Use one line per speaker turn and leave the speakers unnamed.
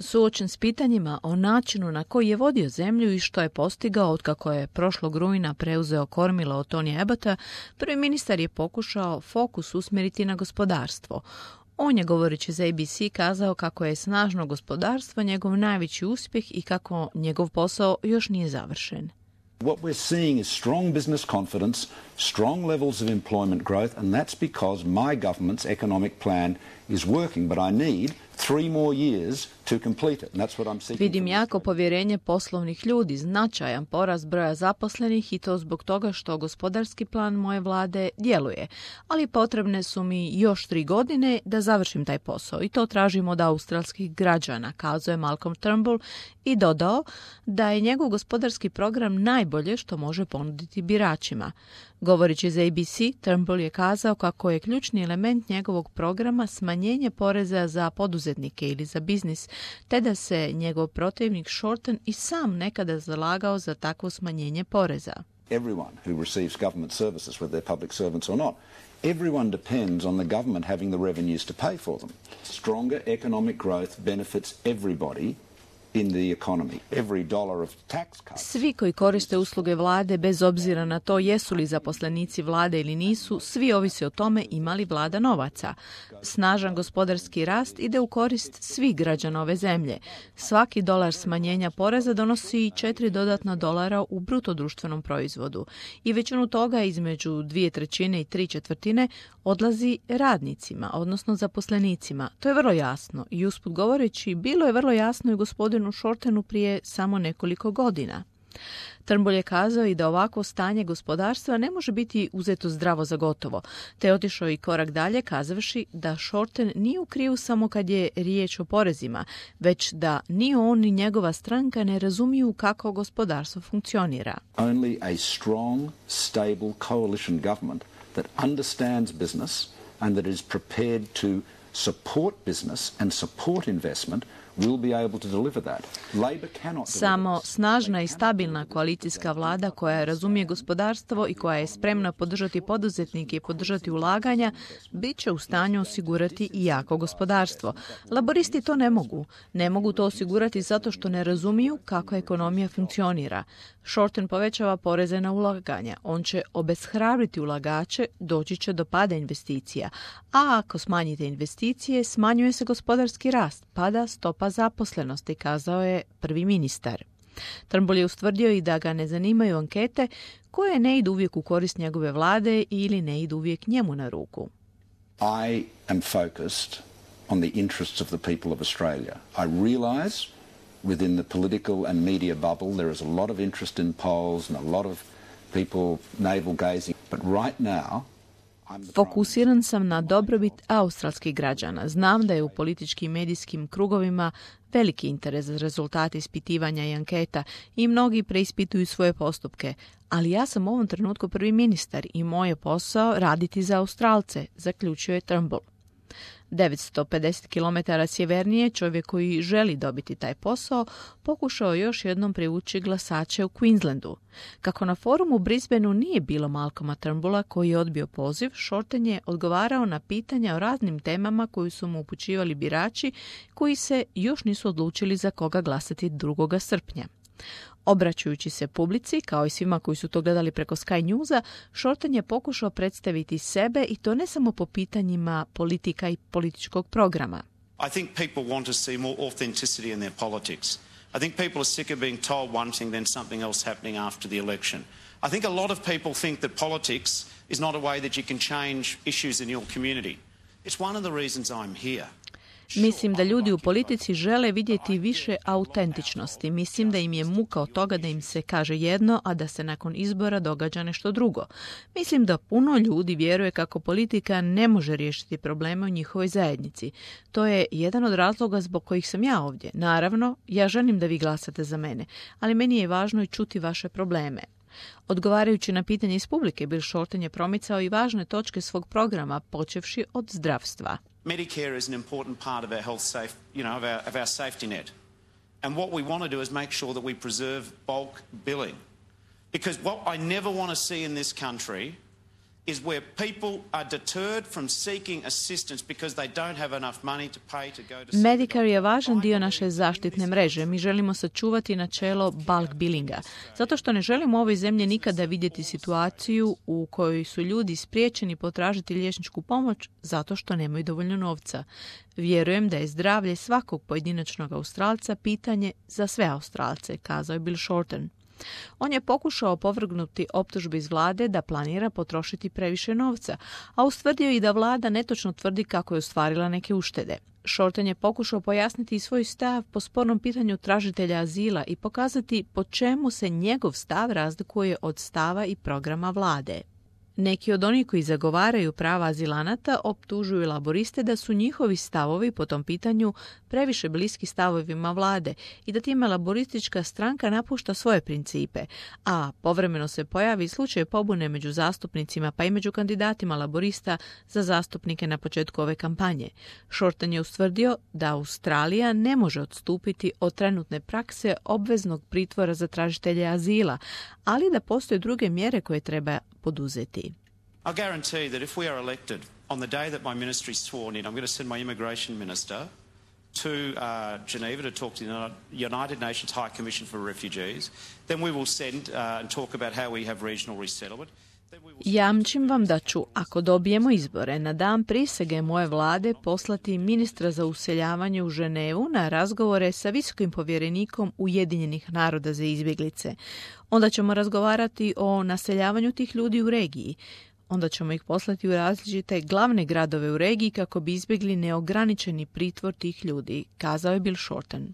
Suočen s pitanjima o načinu na koji je vodio zemlju i što je postigao otkako je prošlog rujna preuzeo kormilo od Tony Abbotta, prvi ministar je pokušao fokus usmjeriti na gospodarstvo. On je, govoreći za ABC, kazao kako je snažno gospodarstvo njegov najveći uspjeh i kako njegov posao još nije završen.
What we're seeing is strong business confidence, strong levels of employment growth, and that's because my government's economic plan is working, but I need 3 more years to complete it. And that's what I'm seeking.
Vidim jako povjerenje poslovnih ljudi, značajan porast broja zaposlenih i to zbog toga što gospodarski plan moje vlade djeluje. Ali potrebne su mi još 3 godine da završim taj posao i to tražim od australskih građana, kazao je Malcolm Turnbull i dodao da je njegov gospodarski program najbolje što može ponuditi biračima. Govoreći za ABC, Turnbull je kazao kako je ključni element njegovog programa smanjenje poreza za poduzetnike ili za biznis, te da se njegov protivnik Shorten i sam nekada zalagao za takvo smanjenje poreza.
Everyone who receives government services, whether they're public servants or not, everyone depends on the government having the revenues to pay for them. Stronger economic growth benefits everybody in the economy. Every dollar of tax cuts.
Svi koji koriste usluge vlade, bez obzira na to jesu li zaposlenici vlade ili nisu, svi ovise o tome ima li vlada novaca. Snažan gospodarski rast ide u korist svih građana ove zemlje. Svaki dolar smanjenja poreza donosi 4 dodatna dolara u bruto društvenom proizvodu. I većinu toga između 2/3 i 3/4 odlazi radnicima, odnosno zaposlenicima. To je vrlo jasno i usput govoreći bilo je vrlo jasno i gospodinu Shortenu prije samo nekoliko godina. Turnbull je kazao i da ovako stanje gospodarstva ne može biti uzeto zdravo za gotovo, te je otišao i korak dalje kazavši da Shorten nije u krivu samo kad je riječ o porezima, već da ni on ni njegova stranka ne razumiju kako gospodarstvo funkcionira.
Only a strong, stable coalition government that understands business and that is prepared to support business and support investment will be able to deliver that. Labor cannot
Samo snažna i stabilna koalicijska vlada koja razumije gospodarstvo i koja je spremna podržati poduzetnike i podržati ulaganja, bit će u stanju osigurati i jako gospodarstvo. Laboristi to ne mogu. Ne mogu to osigurati zato što ne razumiju kako ekonomija funkcionira. Shorten povećava poreze na ulaganja. On će obeshrabriti ulagače, doći će do pada investicija. A ako smanjite investicije, smanjuje se gospodarski rast, pada stopa zaposlenosti, kazao je prvi ministar. Turnbull je ustvrdio i da ga ne zanimaju ankete koje ne idu uvijek u korist njegove vlade ili ne idu uvijek njemu na ruku.
I am focused on the interests of the people of Australia. I realize within the political and media bubble there is a lot of interest in polls and a lot of people navel gazing, but right now
Fokusiran sam na dobrobit australskih građana. Znam da je u političkim i medijskim krugovima veliki interes za rezultate ispitivanja i anketa i mnogi preispituju svoje postupke, ali ja sam u ovom trenutku prvi ministar i moj je posao raditi za Australce, zaključio je Turnbull. 950 km sjevernije čovjek koji želi dobiti taj posao pokušao još jednom privući glasače u Queenslandu. Kako na forumu u Brisbaneu nije bilo Malcolma Turnbulla koji je odbio poziv, Shorten je odgovarao na pitanja o raznim temama koju su mu upućivali birači koji se još nisu odlučili za koga glasati 2. srpnja. Obraćajući se publici, kao i svima koji su to gledali preko Sky Newsa, Shorten je pokušao predstaviti sebe i to ne samo po pitanjima politika i političkog programa.
I think people want to see more authenticity in their politics. I think people are sick of being told one thing then something else happening after the election. I think a lot of people think that politics is not a way that you can change issues in your community. It's one of the reasons I'm here.
Mislim da ljudi u politici žele vidjeti više autentičnosti. Mislim da im je muka od toga da im se kaže jedno, a da se nakon izbora događa nešto drugo. Mislim da puno ljudi vjeruje kako politika ne može riješiti probleme u njihovoj zajednici. To je jedan od razloga zbog kojih sam ja ovdje. Naravno, ja želim da vi glasate za mene, ali meni je važno i čuti vaše probleme. Odgovarajući na pitanje iz publike, Bill Shorten je promicao i važne točke svog programa, počevši od zdravstva.
Medicare is an important part of our health of our safety net. And what we want to do is make sure that we preserve bulk billing. Because what I never want to see in this country is where people are deterred from seeking assistance because they don't have enough money to pay to go to
Medicare je važan dio naše zaštitne mreže. Mi želimo sačuvati načelo bulk billinga, zato što ne želimo u ovoj zemlji nikada vidjeti situaciju u kojoj su ljudi spriječeni potražiti liječničku pomoć zato što nemaju dovoljno novca. Vjerujem da je zdravlje svakog pojedinačnog Australca pitanje za sve Australce, kazao je Bill Shorten. On je pokušao opovrgnuti optužbe iz vlade da planira potrošiti previše novca, a ustvrdio i da vlada netočno tvrdi kako je ostvarila neke uštede. Shorten je pokušao pojasniti svoj stav po spornom pitanju tražitelja azila i pokazati po čemu se njegov stav razlikuje od stava i programa vlade. Neki od onih koji zagovaraju prava azilanata optužuju laboriste da su njihovi stavovi po tom pitanju previše bliski stavovima vlade i da time laboristička stranka napušta svoje principe, a povremeno se pojavi slučaj pobune među zastupnicima pa i među kandidatima laborista za zastupnike na početku ove kampanje. Shorten je ustvrdio da Australija ne može odstupiti od trenutne prakse obveznog pritvora za tražitelje azila, ali da postoje druge mjere koje treba poduzeti.
I guarantee that if we are elected on the day that my ministry is sworn in, I'm going to send my immigration minister to Geneva to talk to the United Nations High Commission for Refugees. Then we will send and talk about how we have regional resettlement.
Jamčim vam da ću, ako dobijemo izbore, na dan prisege moje vlade poslati ministra za useljavanje u Ženevu na razgovore sa visokim povjerenikom Ujedinjenih naroda za izbjeglice. Onda ćemo razgovarati o naseljavanju tih ljudi u regiji. Onda ćemo ih poslati u različite glavne gradove u regiji kako bi izbjegli neograničeni pritvor tih ljudi, kazao je Bill Shorten.